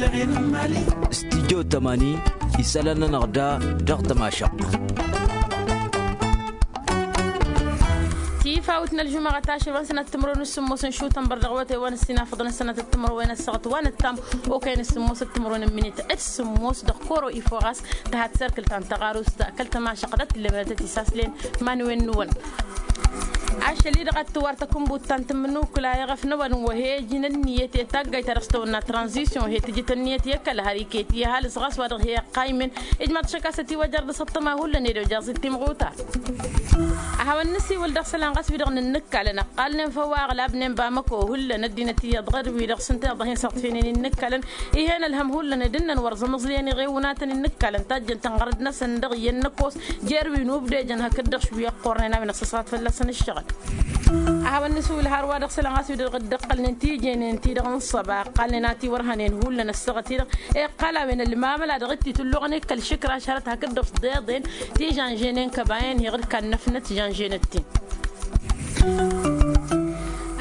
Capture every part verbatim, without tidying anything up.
Stidyo tămani isălan-nănăɣ da dăɣ-tămašăɣt. Tifawt n-ălžumăɣăt ašăl wa n-sănăt timǝrwen s-sǝmmos n-šutănbăr dăɣ-wătay wa n-ăssinafăḍăn ăssănăt d-timǝrwen ăssaɣăt wa n-ăttam okăyăn s-sǝmmos d-timǝrwen n-minit d-sǝmmos dăɣ-koro ifoɣas tăhat serkǝl ta n-tăɣarust kăl-tămašăɣt d-ăttillemănătăt isaslen. Manwen n-wăn ašăl-i-dăɣ ad-tǝwar takǝnbut ta n-tǝmmǝnukǝla i-ɣăf n-ăwadǝm wa he-ăjǝn ǝnniyăt i-taggayt ta dăɣ-s tăwănna tranzisyon he-tǝjǝt ǝnniyăt i-kăl-har iket i-ăhalǝs ɣas wa dăɣ-he-ăqqaymen. Ijmaḍ-t šăkasăt iwăjăr d-asǝṭṭăma hullan ed ojăẓ-t timɣuta. A hawăn-nǝsiwǝl dăɣ-isălan ɣas wi-dăɣ n-ǝnnǝkkalăn ăqqalnen făw a ăɣlabnen bamăko hullan ăddinăt iyyăḍ ɣer-wi-dăɣ s-ǝnta iyyăḍ a hin-săɣtfenen innǝkkalăn. Ih'-en ălhăm hullan ed ǝnnăn wăr zămẓliyăn iɣewǝnatăn innǝkkalăn tajjăn-tăn ɣărăd-năsăn dăɣ-iyyăn n-ăkkoos jer-wi n-ubdejăn hakd-dăɣ šwi ăqqornen a-wen ăṣṣăṣat fălla-săn ǝššăɣǝl. A hawăn-nǝsiwǝl har wa dăɣ-isălan ɣas wi-dăɣ dd-ăqqălnen tijenen-ti-dăɣ n-ăṣṣăba ăqqalnen a tiwărhănen hullan ăssaɣăt-i-dăɣ. Iqqal a-wen ălmamăla dăɣ-t-itǝlluɣăn i-kăl-išǝkraš hărăt hakd-dăɣ s-deḍen ti žănženen kăba-en heɣ d-kannăfnăt žănženăt-tin.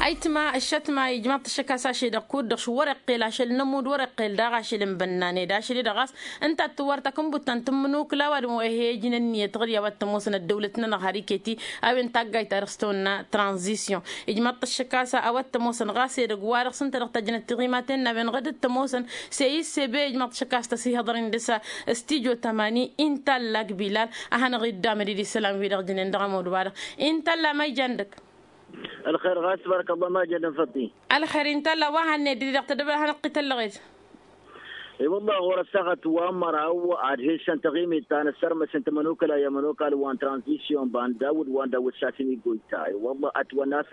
Ayǝtma ǝššătma ijmaḍ-t ăššăk a-s ašăl-i-dăɣ kud-dăɣ š-wăr-iqqel ašăl n-ămudd wăr-iqqel daɣ ašăl n-bănnan ed ašăl-i-dăɣ a-s ǝnta ad-tǝwwăr takǝnbut ta n-tǝmmǝnukǝla ăwadǝm wa he-ijǝn ǝnniyăt ɣǝr-i a-wa t-ămoosăn ăddăwlăt-nănăɣ har iket-i a-wen taggayt-ta-dăɣ s-tawănna tranzisyon. Ijmaḍ-t ăššăk a-s a-wa t-ămoosăn ɣas edăgg-wa-dăɣ s-ǝnta dăɣ-tăjjnăt tiɣimaten n-a-wen ɣǝd t-ămoosăn s-e-issebe ijmaḍ-t ăššăk a-s tăsihăḍăr-in dăr-s. Stidyo tămani intallak bilal a hanăɣ-iddamăd-dd isălan-wi-dăɣ jǝnen dăɣ-ămudd-wa-dăɣ. Intalla ma ijan dăgg. Ălxer ɣas barăk ăllah ma jădăn făṭṭi. Ălxer intalla wa hanned-dd-i dăɣ-tădăbăl a hanăɣ-t-ităllăɣet. I-wăllah ɣur-ăssaɣăt wa n-măraw ad-hesăn taɣimit ta n-ăssărmăs n-tamănokăla i-amănokal wa n-tranzisyon bandawǝd wa n-dawǝd sasini goyta i-wăllah ătwănna a-s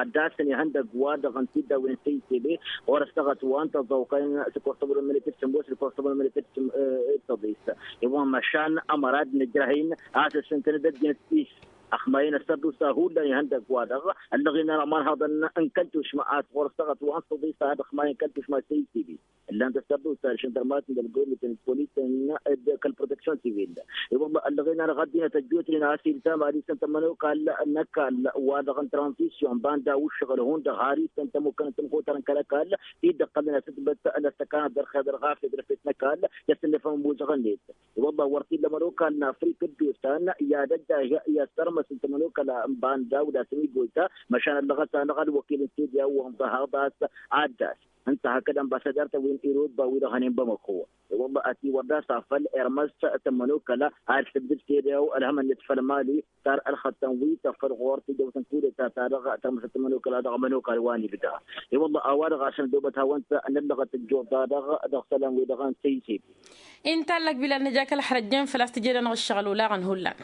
ad-dasăn ihăndăgg-wa-dăɣ n-tiddawen n-tăytele. Ɣur-ăssaɣăt wa n-tăẓẓawkăyăn s-ăkkoẓ tămănămănet d-sǝmmos d-ăkkoẓ tămănămănet d-sǝmmos d-tăḍis. I-wăllah măšan ămăra ad-nǝjrăh-in a-s ăssintăn d-ăddinăt-is. Ăxmayăn ăssărdusa hullan ihăndăgg-wa-dăɣ ăllăɣen-anăɣ imanhăḍăn n-kăl-tušma a-s ɣur-ăssaɣăt wa n-săḍisa ad-ăxmayăn kăl-tušma săy-sibin. Ǝllan-t ăssărdusa d-ašăndărmat n-ălgomit n-polis n-kăl-proteksyon sivil. I-wălla ăllăɣen-anăɣ ăddinăt ăjjootnen a-s iltam ad-isăn tămănokal n-ăkall wa-dăɣ n-tranzisyon banda uššăɣǝl hundăɣ har isăn tămukkănăt tămxutar n-kăl-ăkall. Ti dd-ăqqălnen asǝtbăt n-ăstăkanăt d-ărxeḍăr ɣas ed rǝfet n-ăkall. Tăsǝnnăfăm muzăɣ-net. I-wălla wăr t-illa ămănokal n-afrik dd-osan i-ad-ăjjah i-ăssărmăs n-tămănokăla n-banda udas n-igoyta. Măšan ăllăɣăt-anăɣ ălwăkil n-sediya wa n-ḍahăḍ a-s ad-das ǝnta hakd ănbasadar-tăn wi n-iroba wi-dăɣ hănen bamăko. I-wălla ătiwăr d-asafăl irmăs tămănokăla ad-tǝbdǝd sediya ălhămăn-net făll-mali. Tar ălxăttăn wi tăffăl ɣur-t ijăwătăn kudeta-ta-dăɣ tărmǝsăt tămănokăla dăɣ-ămănokal wa n-ibda. I-wălla a-wa-dăɣ a-s nădobăt hawăn-t n-ăllăɣăt ăjjuḍa-dăɣ dăɣ-isălan-wi-dăɣ n-tăyzib. Inta ăllăk bilal nǝja kăl-ăxrăjjen făl-a-s tǝjăd-anăɣ ǝššăɣǝl olaɣăn hullan.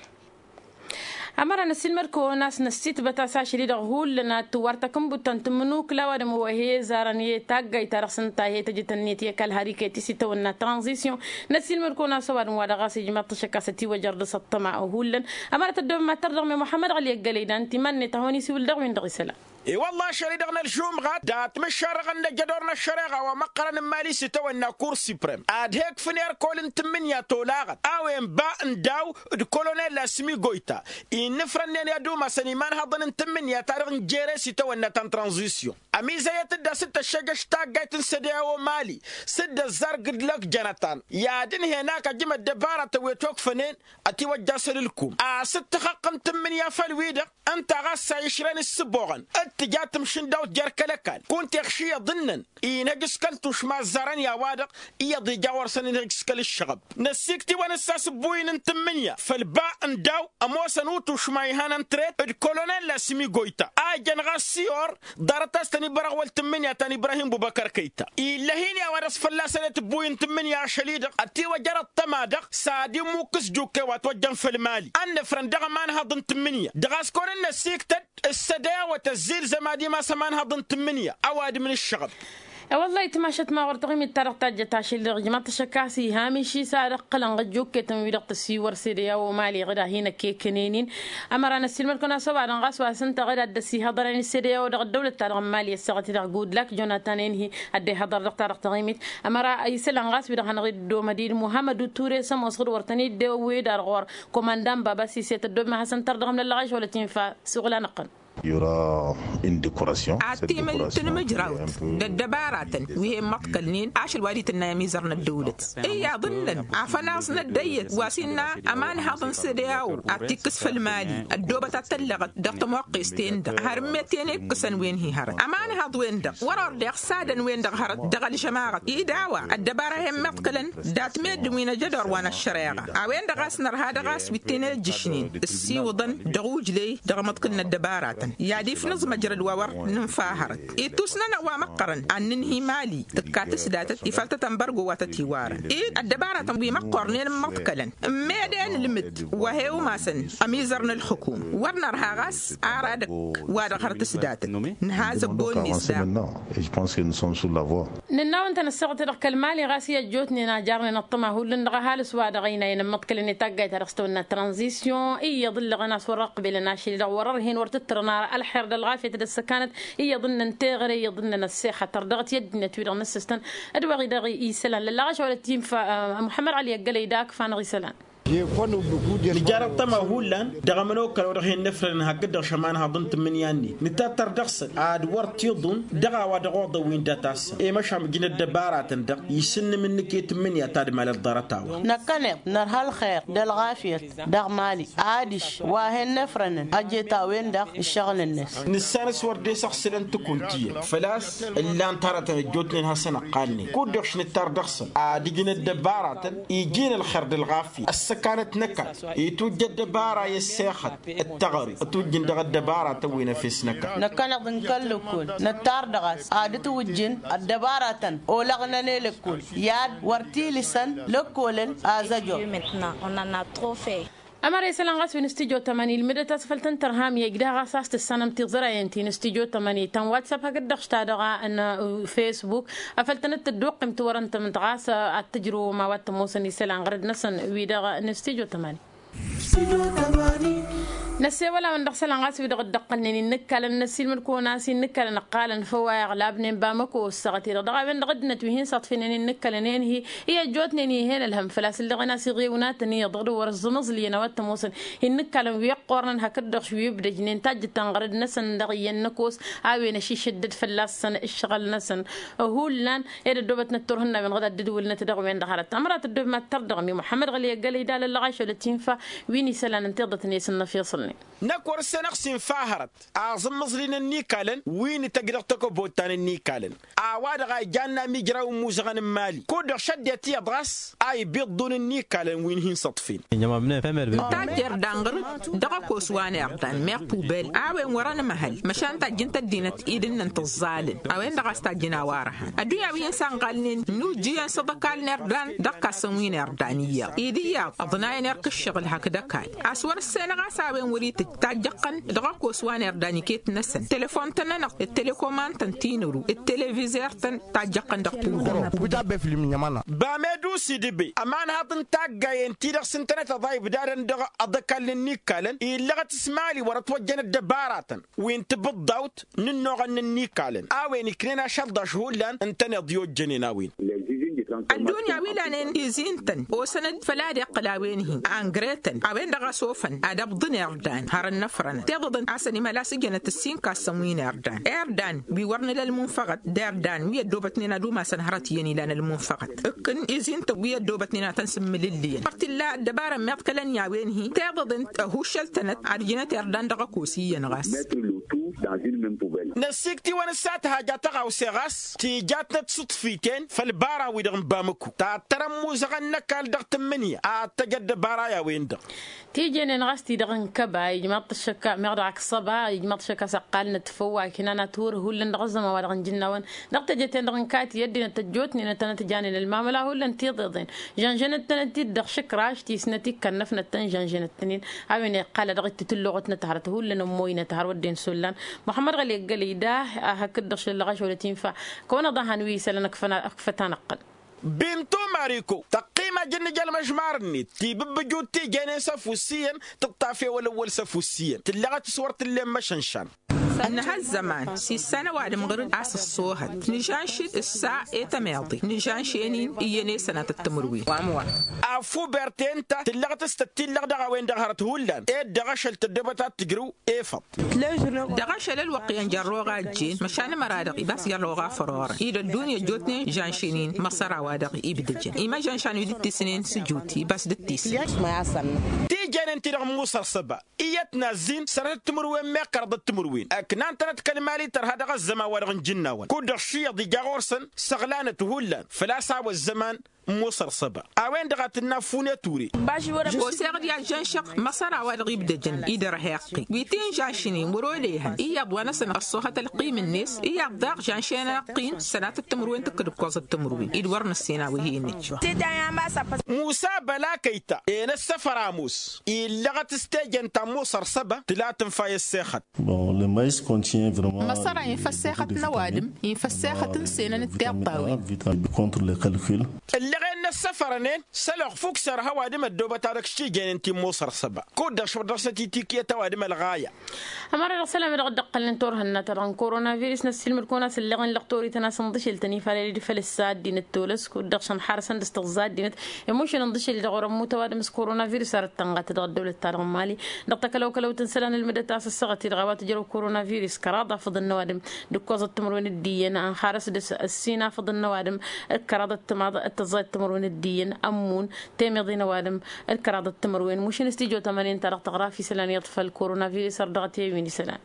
Ămăra năssiilmăd-kăwăn a-s năssiitbăt a-s ašăl-i-dăɣ hullan ad-tǝwwar takǝnbut ta n-tǝmmǝnukǝla ăwadǝm wa he-ăzarăn i-taggayt-ta-dăɣ s-ǝnta he-tăjǝt ǝnniyăt i-kăl-har iket-i s-itawănna tranzisyon. Năssiilmăd-kăwăn a-s ăwadǝm-wa-dăɣ a-s ijmaḍ-t ašăk a-s ătiwăjăr dăɣ-s ăṭṭăma hullan. Ămăra tăddoobăm ad-tărdăɣme muḥămmăd ɣăli ăggălăy d-antiman-net a hawăn-isiwǝl dăɣ-win-dăɣ isălan. I-wălla ašăl-i-dăɣ n-ălžumɣat dat-măššarăɣăn n-ejădor n-ăššăreɣa wa măqqărăn n-imali s-itawănna kur siprem ad-he-ǝkfǝn erkol n-tǝmmǝnǝya tolaɣăt a-wen ba n-daw d-kolonel asmi goyta. Innǝfrănnen i-ad-umasăn imanhăḍăn n-tǝmmǝnǝya-ta-dăɣ n-jere s-itawănna ta n-tranzisyon. Ămizăyăt-dd a-s t-ăššăjăš taggayt n-sădeya omali s-dd-ăzzar gǝdlăk jănătan i-ad-ǝnhen akăjăm ăddăbaratăn wi ătokfănen. Ătiwăjja asăl ǝlkum a-s t-tăxăqqǝm tǝmmǝnǝya făll-wi-dăɣ ǝnta ɣas a išrăn ǝssǝboɣăn d-tǝja tǝmšǝndawt jer-kăl-ăkall kunta iɣšǝyăḍ ǝnnăn inhăj s-kăl-tušma ăzzarăn i-a-wa-dăɣ iyyăḍ ija wăr săn inhăj s-kăl-ǝššăɣăb. Năssiiktiwăn s-asǝbbuy n-tǝmmǝnǝya făll-ba n-daw ămoosăn utušma ihănăn tret d-kolonel asmi goyta a ijăn ɣas siyor. Ḍarăt a-s tăn-ibărăɣ wăl tǝmmǝnǝya ta n-ibrahim bubăkăr kăyta ill'-ahin i-a-wa dăɣ-s fălla-săn i-tǝbbuy n-tǝmmǝnǝya ašăl-i-dăɣ ătiwăjăr ăṭṭăma-dăɣ s-ad-immukǝs jukke wa ătwăjjăn făll-mali ănnăfrăn dăɣ-ămanhăḍ n-tǝmmǝnǝya dăɣ-a-s kăwăn-dd-năsiiktăd. S-sădăya wa tăzzilzăm ad-imas ămanhăḍ n-tǝmmǝnǝya ăwadǝm n-ǝššăɣăb. I-wăllah itmašăt ma ɣur-taɣimit ta dăɣ-tajjăt ašăl-i-dăɣ ijmaḍ-t ašăk a-s ihamiš-i s-ad-ăqqǝlăn ɣǝjjukketăn-wi-dăɣ tăsiwăr sădăya omali ɣǝd-ahin ăkkekănen-in. Ămăra năssiilmăd-kăwăn a-s ăwadǝm ɣas wa s-ǝnta ɣǝd ad-dd-ăsihăḍărăn s-sădăya-wa-dăɣ ăddăwlăt-ta-dăɣ n-mali ăssaɣăt-i-dăɣ gudlak jonatan enhi. Ad-dd-ihăḍăr dăɣ-ta-dăɣ taɣimit ămăra isălan ɣas wi-dăɣ hanăɣ-dd-omăd-dd muhammăd uture s-ămoos ɣǝd wăr tăn-dd-ewwed ar ɣur-ăkk komandan baba s-iset ăddob ma hasăn-tărdăɣăm lăllăɣ ašăl wăla t-infa. S-uɣǝl anăɣ-tăn. Ad-timǝl tǝnmǝjrawt d-ăddăbaratăn wi he-immăḍkălnen ašăl wa d-itǝnnay ămizăr n-ăddăwlăt. Iyyăḍ ǝnnăn afănaẓ n-ăddăyyăt wa s-innă ămanhăḍ n-sădeawo ad-t-ikkǝs făll-mali ăddoobăt ad-tăllăɣăt dăɣ-tămoqqes-ten-dăɣ har ǝmmet-en ikkǝsăn wen-hi hărăt ămanhăḍ-wen-dăɣ wăr-ordeɣ s-adăn-wen-dăɣ hărăt dăɣ-ălžămaɣăt-i d-a-wa ăddăbara he-immăḍkălăn dat-meddǝn wi n-ajădor wa n-ăššăreɣa. A-wen-dăɣ a-s nărha dăɣ-a-s wi t-in-ejjǝšnen ǝssiwǝḍăn dăɣ-ujley dăɣ-imǝḍkǝl n-ăddăbaratăn i-ad-ifnǝẓ măjrăd wa wăr nǝnfa hărăt. Ittus-nănăɣ wa măqqărăn ad-nǝnhǝy mali tǝkka tǝsdatăt ifăl tăt-ănbărgo wa tăt-iwarăn-i ăddăbaratăn wi măqqornen ǝmmăḍkălăn ǝmmed i-anǝlmǝd wa he-umasăn ămizăr n-ǝlxǝkum wăr nărha ɣas ara dăgg-wa-dăɣ hărăt tǝsdatăt. Nǝha zăbbo-net daɣ. Nǝnna-wăn-tăn ăssaɣăt-i-dăɣ kăl-mali ɣas i-ăjjootnen a jarnen ăṭṭăma hullan dăɣ-ăhalǝs-wa-dăɣ ăynayăn ǝmmăḍkălăn i-taggayt-ta-dăɣ s-tawănna tranzisyon iyyăḍ ǝllăɣăn a-s wăr-ăqbelăn ašăl-i-dăɣ wăr-ărhen wăr-tǝttărăn ara ălxer d-ălɣafyăt d-ăssăkanăt. Iyyăḍ ǝnnăn teɣăre iyyăḍ ǝnnăn ăssexătăr dăɣ-t i-ăddinăt-wi-dăɣ n-ǝssǝstăn d-wa-hi-dăɣ isălan lălla ɣaš a wălăt infa. Muḥămmăd ɣali ăggălăy da akǝfa-năɣ isălan. Nǝjar ăṭṭăma hullan dăɣ-ămănokăl wa dăɣ-hin-nǝfrănăn hakd-dăɣ šămanhaḍ n-tǝmmǝnǝya-net nǝtattăr dăɣ-săn ad-wăr t-iḍun dăɣ-a-wa dăɣ-oḍăn wi n-dat-assăn i-măšan ǝjǝn ăddăbaratăn-dăɣ isǝnnǝm-nǝk i-tǝmmǝnǝya ta d-malăt ḍarăt-a-wa. Năkkăneḍ nărha ălxer d-ălɣafyăt dăɣ-mali adiš wa hen-nefrănăn ăjet a-wen-dăɣ ǝššăɣǝl-net. Nǝssan s-wăr dd-esăɣsǝlăn tǝkunt iyyăn făl-a-s ǝllan-t hărătăn ăjjootnen hasăn-ăqqalnen kud-dăɣ š-nǝttar dăɣ-săn ad-ǝjǝn ăddăbaratăn iji n-ălxer d-ălɣafyăt ăssăkanăt n-ăkall itujj ăddăbara i-ăssexăt d-teɣăre tujjǝn dăɣ-ăddăbaratăn wi n-efes n-ăkall. Năkkăneḍ n-kăl-lăkkol nǝttar dăɣ-a-s ad-ǝtwǝjjǝn ăddăbaratăn olăɣnăn i-lăkkol i-ad-wăr t-ilǝsăn lăkkolăn. Azăjor. Ămăra isălan ɣas wi n-studyo tămani ilmǝdăt a-s făl tăn-tărham i-ăjdah ɣas a-s tǝssanăm tiẓrayen ti n-studyo tămani ta n-whatsapp hakd-dăɣ š-ta-dăɣ n-facebook afăl tănăt-tădduqqim tiwărăn tămǝnt ɣas ad-tǝjrǝwăm a-wa t-ămoosăn isălan ɣărăd-năsăn wi-dăɣ n-studyo tămani. Năssewăl-awăn dăɣ-isălan ɣas wi-dăɣ dd-ăqqălnen innǝkkalăn năssiilmăd-kăwăn a-s innǝkkalăn ǝqqalăn făw a iɣlabnen bamăko ăssaɣăt-i-dăɣ dăɣ-a-wen-dăɣ ăddinăt wi hin-saḍfinen innǝkkalăn enhi i-ăjjootnen ih'-en ălhăm făl-a-s ǝllăɣen a-s iɣewnaten iyyăḍ dăɣ-dd-wăr-ăẓẓǝmǝẓlǝyăn a-wa t-ămoosăn innǝkkalăn wi ăqqornăn hakd-dăɣ š-wi ǝbdăjnen tajjǝt tanɣărăd-năsăn dăɣ-iyyăn n-ăkoos a-wen ăšišăddăd fălla-săn ǝššăɣǝl-năsăn. Hullan ed ăddoobătnăt turhǝnna-wen ɣǝd ad-dd-wǝlnăt dăɣ-wen-dăɣ hărăt ămăra tăddoobem ad-tărdăɣmi muḥămmăd ɣăli ăggălăy d-alăllăɣ ašăl ătinfa wi n-isălan n-tiḍăt-net n-inăfiṣălnen. Năkk wăr-ǝssenăɣ s-infa hărăt aẓǝmmǝẓlin ănnikalăn wi n-tăj dăɣ-tăkăbottan ănnikalăn a-wa-dăɣ a ijanna amijraw n-imuzăɣăn n-imali kud-dăɣ šădded tiyyăḍ ɣas a ibiḍḍun ănnikalăn wi n-hin-săḍfin. Ǝnta jer-danɣăr dăɣ-ăkos wa n-irdan meɣ pubel a-wen wăr-ănmăhăl măšan tajjǝnt ăddinăt idǝnnăn tǝẓẓalăn a-wen-dăɣ a-s tajjǝn a-wa răhan ăddunya wi n-sanɣalnen nujjǝyăn s-aḍăkal n-irdan dăɣ-kassăn wi n-irdan iyyăḍ-i d-iyyăḍ ăḍnayăn irk ǝššăɣǝl hakd ăkall a-s wăr-ǝssenăɣ a-s a-wen wăr-itǝjj tajjăɣ-tăn dăɣ-ăkos wa n-irdan iket-năsăn telefon-tăn-nănăɣ d-telekomand-tăn tinăru d-televizer-tăn tajjăɣ-tăn dăɣ-pudăr. Bamedu sidǝbe ămanhaḍ n-taggayen-ti-dăɣ s-ǝntănăt ăḍa ibdadăn dăɣ-aḍăkall n-ǝnnikkalăn illăɣăt s-mali wăr-ătwăjjăn ăddăbaratăn wi n-tibǝḍḍawt n-ǝnnuɣăn n-ǝnnikalăn a-wen iknen ašălḍaš hullan ǝntăneḍ i-ojjănen a-wen. Ăddunya wi lanen izi ǝntăn osăn-dd făll-ad-iqqǝl a-wen-hi angretăn a-wen-dăɣ a-s ofăn ad-ăbḍǝn irdan har ănnăfrănăt tiḍăḍăn a-s ănimăl a-s ǝjănăt ǝssin kassăn wi n-irdan irdan wi wăr nǝla ălmunfăɣăt d-irdan wi ăddoobătnen ad-umasăn hărăt iyyăn ilan ălmunfăɣăt ǝkkǝn izi ǝntăn wi ăddoobătnen ad-tăn-sǝmmǝlǝllǝyăn wăr t-illa ăddăbara ămmiḍkălăn i-a-wen-hi tiḍăḍăn ăhuššăl-tănăt ad-ǝjnăt irdan dăɣ-ăkos iyyăn ɣas. Năssikt'-iwăn s-ad-t-haja tăɣawse ɣas tijatnăt s-iṭṭǝfiten făll-ibaran-wi-dăɣ n-bamăko tattăr ămmuzăɣăn n-ăkall dăɣ-tǝmmǝnǝya ad-tăj ăddăbara i-a-wen-dăɣ. Tijenen ɣas ti-dăɣ n-kăba ijmaḍ-t ăššăkka meɣ dăɣ-ak s-ăba ijmaḍ-t ăššăkka s-ăqqalnăt făw wa iknan ad-t-wăr hullan dăɣ-ăzzăman wa dăɣ-nǝjǝnna-wăn dăɣ-teje-ten-dăɣ n-kati ăddinăt ăjjootnen ad-tănăt-janen ălmamăla hullan tiḍeḍen žănžănăt-tănăt-dd dăɣ-išǝkraš ti s-năt-ikkănnăfnăt-tăn žănžănăt-tăn-in. A-wen iqqal a dăɣ-ittǝtǝlluɣătnăt hărăt hullan ămmoynăt har wădden s-ollan muḥămmăd ɣăli ăggălăy da. Hakd-dăɣ šăllăɣ ašăl ătinfa kăwăn-ăḍahan wi isălan ǝkfăt-anăɣ-tăn. Bintu mariko tăqqim ajǝnnǝj ălmăžmar-net tibǝbbǝjut tijenen s-ăfuss iyyăn tǝṭṭaf ewăl-ăwwăl s-ăfuss iyyăn tǝllăɣăt s-wăr t-ǝllen măšănšan. Ǝnnăhăt zăman s-issan ăwadǝm ɣǝr-dd a-s ǝṣṣoohăt nǝžanš-dd ǝssa i-tămeḍe nǝžanš-en-in iyyăn i-sănatăt timǝrwen. Wa măwa. Affu berten ta tǝllăɣăt s-tăt-tillăɣ dăɣ-a-wen-dăɣ hărăt hullan ed dăɣ-ašăl tăddoobăt ad-tǝjrǝw efăḍ. Dăɣ-ašăl ălwăqq iyyăn jărroɣ a ăjjeen măšan ămăra-dăɣ ibas jărroɣ a fărorăn-i d-ăddunya ăjjootnen žănšen-in măṣăr a-wa-dăɣ ibdăjăn imăžănšan wi dd-tisnen s-ǝjuti ibas dd-tisnen. Tijenen-ti-dăɣ n-musăr s-ăba iyyăt n-azzin sănatăt timǝrwen meɣ kăraḍăt timǝrwen ăknan-tănăt kăl-mali tărha dăɣ-ăzzăman wa dăɣ-nǝjǝnnawăn kud-dăɣ šiyyăḍ ija ɣur-săn săɣlanăt hullan făl-a-s a-wa ăzzăman n-musăr s-ăba. A-wen-dăɣ a tǝnna affunăt ure. Oseɣ-dd i-ad-žănšăɣ măṣăr a-wa-dăɣ ibdăjăn idărheɣ-t wi ti n-žănšnen wăr-olehăn iyyăḍ wa-năsăn ăṣṣoohăt ălqim-net iyyăḍ daɣ žănšen ăqqin sănatăt timǝrwen tǝkkǝd ǝkkoẓăt timǝrwen-i d-wăr nǝssen a-wa he-nǝjj. Musa băla kăyta enăssăfăr ămoos illăɣăt s-tejen ta n-musăr s-ăba tǝla tǝnfa i-ăssexăt. Măṣăra infăssexăt n-ăwadǝm infăssexăt n-senăn d-tiṭṭawen. Ǝllăɣen n-ăssăfărăn-en s-ălwăqq fukser hăwadǝm ăddoobăt-a-dăɣ s-tijenen ti n-musăr s-ăba kud-dăɣ šwăr dăɣ-săt itikǝyăt ăwadǝm ălɣaya. Ămăra dăɣ-isălan-wi-dăɣ dd-ăqqălnen turhǝnna-ta-dăɣ n-korona virus n-ăssiilmăd kăwăn-asǝlleɣen lăqtor-ităn a-s ǝnḍǝšǝl-tăn ifalăl-i d-făl ǝssa ăddinăt tolăs kud-dăɣ šăn ḥarăsăn d-s-tǝẓẓa ăddinăt. Ămušăn ǝnḍǝšǝl-i-dăɣ wăr-ămmut ăwadǝm s-korona virus arăt tănɣa-t dăɣ-ăddăwlăt-ta-dăɣ n-mali. Dăɣ-takălăwkălăwt n-isălan ǝlmǝdăt a-s ăssaɣăt-i-dăɣ a-wa tǝjrăw korona virus kăraḍ afăḍăn n-ăwadǝm d-ǝkkoẓăt timǝrwen d-iyyăn ănxarăs dăɣ-s ăssin afăḍăn n-ăwadǝm d-kăraḍăt timaḍ d-tăẓẓayăt timǝrwen d-iyyăn ămmun temeḍe n-ăwadǝm d-kăraḍăt timǝrwen mušǝn s-tijo tămănen-ta-dăɣ tăɣra f-isălan iyyăḍ făll-korona virus ărdăɣăt i-wi n-isălan.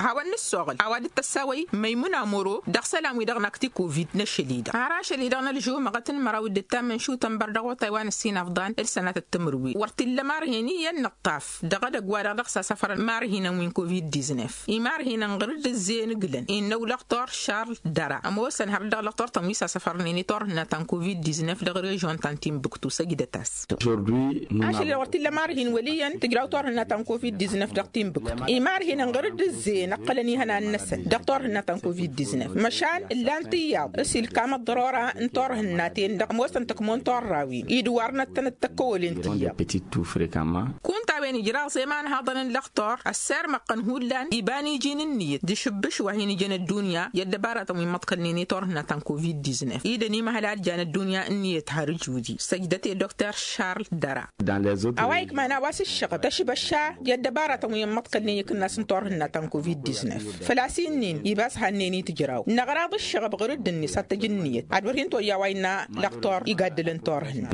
Hawăn-nǝssoɣăl a-wa dd-tăssawăy măymuna moro dăɣ-isălan-wi-dăɣ n-akti kovid n-ašăl-i-dăɣ har ašăl-i-dăɣ n-ălžumăɣăt n-măraw d-ǝttam n-išutăn bărdăɣ otay wa n-ǝssin afḍan d-sănatăt timǝrwen wăr t-illa imarhen iyyăn n-ǝṭṭaf dăɣ-edăgg-wa-dăɣ dăɣ-sasăfărăn imarhinăn wi n-kovid diznef imarhinăn ɣur-dd ǝzzeyăn ǝglăn innă ulăɣtor šarl dăra ămoosăn hărăt dăɣ-lăɣtor-tăn wi sasăfărnen i-turhǝnna ta n-kovid diznef dăɣ-režion ta n-timbuktu săjdăt-as. Ašăl-i-dăɣ wăr t-illa imarhin wăl' iyyăn tǝjraw turhǝnna ta n-kovid diznef dăɣ-timbuktu imarhinăn ɣur-dd ǝzzeyăn ǝqqălăn ihănan-năsăn dăɣ-turhǝnna ta n-kovid diznef măšan ǝllan tiyyăḍ s-ilkam ăḍḍărora n-turhǝnna-ten-dăɣ ămoosăn tăkmon turrawen-i d-iwarnăt-tăn d-tăkkăwălen tiyyăḍ. Kunta a-wen ijraẓ i-imanhaḍăn n-lăxtur ăssirmăɣ-tăn hullan iba n-iji n-ǝnniyăt d-ašǝbbǝš wa hin-ijăn ăddunya i-ăddăbaratăn wi n-imăḍkălnen i-turhǝnna ta n-kovid diznef-i d-ănimăhăl a ǝljan ăddunya ǝnniyăt har ǝjudi săjdăt i-dokter šarl dăra. A-wa ikman a-wa s-ǝššăɣăb tăšbăšša i-ăddăbaratăn wi n-imăḍkălnen i-ikǝnnas n-turhǝnna ta n-kovid diznef făl-a-s inn'-in ibas hannen-i tǝjraw năɣraḍ ǝššăɣăb ɣur-dd-net ad-tăj ǝnniyăt ad-wăr hin-toyya a-wa innă lăxtur igaddǝlăn turhǝnna.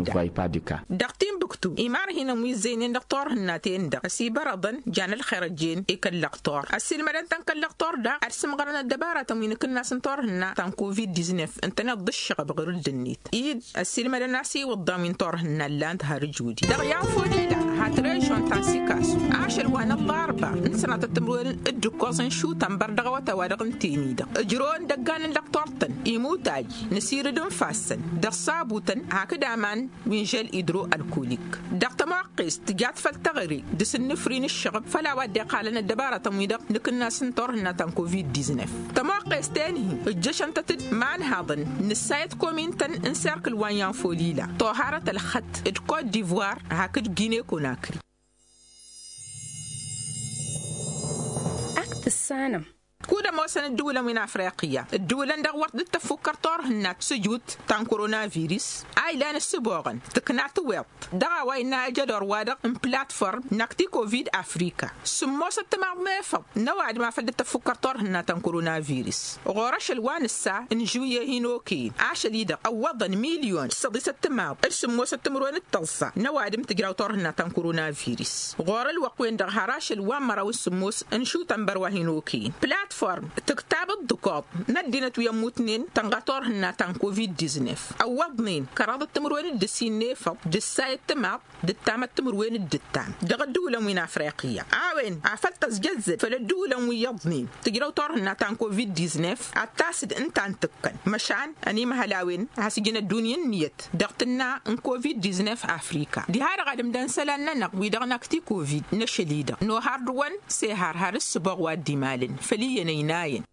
Dăɣ-timbuktu imarhinăn wi ǝzzeynen dăɣ-turhǝnna-ten-dăɣ ăsibărăḍăn jan ălxer ăjjeen i-kăl-lăxtur ăssiilmădăn-tăn kăl-lăxtur daɣ ad-sǝmɣărăn ăddăbaratăn wi n-akǝnnas n-turhǝnna ta n-kovid diznef ǝntăneḍ d-ǝššăɣăb ɣur-dd-net-i dd-ăssiilmădăn a-s iwǝḍḍan wi n-turhǝnna ǝllan-t har ǝjudi dăɣ-i anfodila hat režion ta n-sikasu ašăl wa n-ăllarba n-sănatăt timǝrwen d-ǝkkoẓ n-išutăn bărdăɣ awătay wa dăɣ-ǝnten-i-dăɣ ǝjrăwăn dăggan n-lăqtor-tăn imutaj n-asirǝd n-ifassăn dăɣ-sabutăn hakd aman wi n-žel idro-ălkolik dăɣ-tămoqqest tǝjat făll-teɣăre d-asǝnnǝfri n-ǝššăɣăb făll-a-wa dd-iqqalăn ăddăbaratăn-wi-dăɣ n-akǝnnas n-turhǝnna ta n-kovid diznef tămoqqest-en-hi ǝjjăšăn-tăt-dd imanhaḍăn n-ǝssayăt komin-tăn n-serkǝl wa n-ianfolila toharăt ălxătt d-kot divoir hakd gine konakri. Ak tǝssanăm. Kud-ămoosăn ǝddǝwǝlăn wi n-afriqya ǝddǝwǝlăn-dăɣ wăr dd-tăffukkăr turhǝnna s-ǝjut ta n-koronavirus a ilan ǝssǝboɣăn tǝkna tǝwiḍt dăɣ-a-wa innă ajădor-wa-dăɣ n-platform n-akti kovid afrika sǝmmosăt timaḍ n-efăḍ n-ăwadǝm afăl dd-tăffukkăr turhǝnna ta n-koronavirus ɣur-ašăl wa nǝssa n-žuye hin-okăyăn ašăl-i-dăɣ ăwwăḍăn milyon d-săḍisăt timaḍ d-sǝmmosăt timǝrwen d-tăẓẓa n-ăwadǝm tǝjraw turhǝnna ta n-koronavirus ɣur-ălwăqq-wen-dăɣ har ašăl wa n-măraw d-sǝmmos n-išutăn băr wa hin-okăyăn platform tǝktab ǝḍḍǝkoḍ n-ăddinăt wi ămmutnen tănɣa turhǝnna ta n-kovid diznef ăwwăḍnen kăraḍăt timǝrwen d-ǝssin n-efăḍ d-ǝssayăt timaḍ d-ǝttamăt timǝrwen d-ǝttam dăɣ-ăddǝwǝlăn wi n-afriqya a-wen afăl tăzjăzzăd făll-ăddǝwǝlăn wi iyyăḍnen tǝjrăw turhǝnna ta n-kovid diznef ad-tas-dd ǝnta a ǝntǝkkăn măšan ănimăhăl a-wen a has-ǝjǝn ăddunya ǝnniyăt dăɣ-tǝnna n-kovid diznef afrika diha-dăɣ ad-ǝmdăn isălan-nănăɣ wi-dăɣ n-akti kovid n-ašăl-i-dăɣ nohar dăɣ-wăn s-ehar har ǝssǝboɣ wa dd-imalăn făll-iyyăn ăynayăn.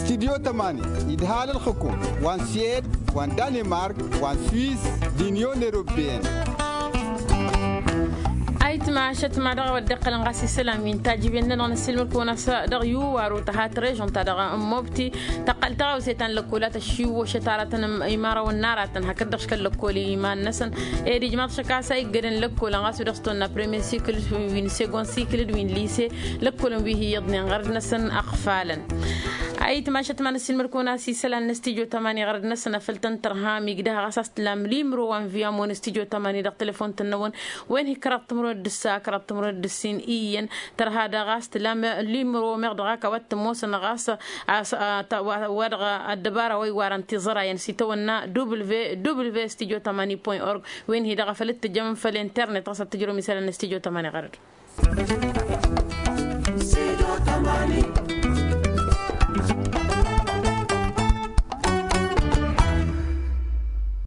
Studyo tămani idhal ǝlxǝkum wa n-siyed wa n-danimark wa n-swiss d-inyon eropeyăn. Ayǝtma ašăt ma dăɣ-a-wa dd-iqqălăn ɣas isălan wi n-tajǝben-nănăɣ năssiilmăd-kăwăn a-s dăɣ-iwwar wa tăha trăžăn-ta-dăɣ n-mobti. Tăqqăl taɣawse ta n-lăkkola tăššiwwăšăt aratăn imarawăn n-aratăn hakd-dăɣ škăl lăkkol iman-năsăn. Ed ijmaḍ šăk a-s a iggădăn lăkkolăn ɣas wi dăɣ-s tăwănna premier sikǝl wi n-segon sikǝl d-wi n-lise. Lăkkolăn wi hi-iyyăḍnen ɣărăd-năsăn ăɣfalăn. Ayǝtma ašăt ma năssiilmăd-kăwăn a-s isălan n-stijo tămani ɣărăd-năsăn afăl tăn-tărha migdăh ɣas a-s tǝllam limro wa n-viyamo n-stijo tămani dăɣ-telefon-tăn-năwăn. Wen hi-kăraḍ timǝrwen d-ǝssa kăraḍ timǝrwen d-ǝssin iyyăn. Tărha daɣ a-s tǝllam limro meɣ dăɣ-ak a-wa t-ămoosăn ɣas a-s wa dăɣ-ăddăbara wa iwarăn tiẓărayăn s-itawănna w w w stijo tămani point org. Wen hi-dăɣ a făl t-tǝjjăm făll-internet ɣas ad-tǝjrǝwăm isălan n-stijo tămani ɣărăd.